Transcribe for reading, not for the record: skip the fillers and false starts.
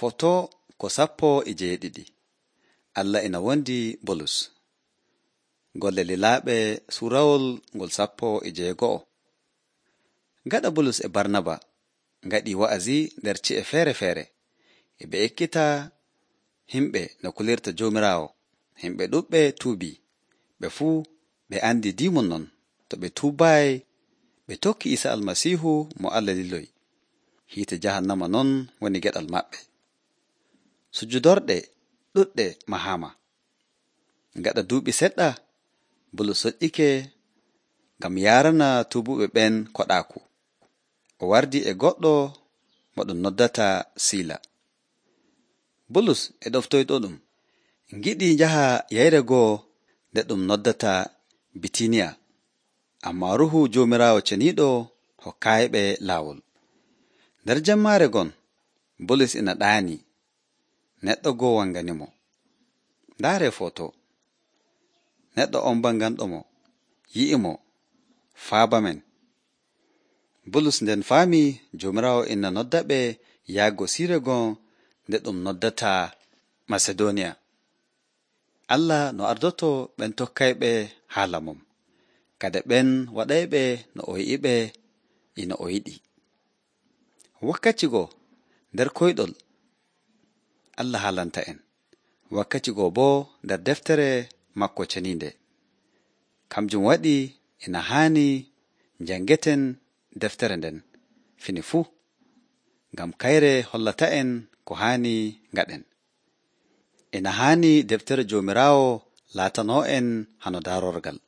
Foto ko 17. Allah ina wondi Bulus. Golle lilaaɓe suurawol ngol 11. Gaɗa Bulus e Barnaba ngaɗi wa'azi nder ci'e feere-feere, e ɓe ekkita himɓe no kulirta Joomiraawo. Himɓe ɗuɓɓe tuubii, ɓe fuu ɓe andi diimol non. To ɓe tuubaayi, ɓe tokki Iisa Almasiihu mo Allah liloyi. Hiite jahannama non woni geɗal maɓɓe. Sujudorɗe ɗuɗɗe mahaama. Gaɗa duuɓi seɗɗa, Bulus soƴƴike ngam yaarana tuubuɓe ɓen koɗaaku. O wardi e goɗɗo mo ɗum noddata Siila. Bulus e ɗoftoyɗo-ɗum ngiɗi njaha yeyre goo nde ɗum noddata Bitiniya, ammaa Ruuhu Joomiraawo ceniiɗo hokkaayiɓe laawol. Nder jemmaare gon, Bulus ina ɗaani. Neɗɗo goo wanganimo. Ndaaree foto. Neɗɗo on banganɗo mo, yi'i mo, faabamen. Bulus nden faami Joomiraawo ina nodda ɓe yahgo siire gon nde ɗum noddata Masedooniya. Allah no ardoto ɓen tokkayɓe haala mum, kadi ɓen waɗayɓe no o yi'iɓe ino o yiɗi. Wakkati goo nder koyɗol Allah haalanta en, wakkati goo boo nder deftere makko ceniinde. Kamjum waɗi ina haani janngeten deftere nden fini fuu, ngam kayre hollata en ko haani ngaɗen. Ina haani deftere Joomiraawo laatanoo en hano daarorgal.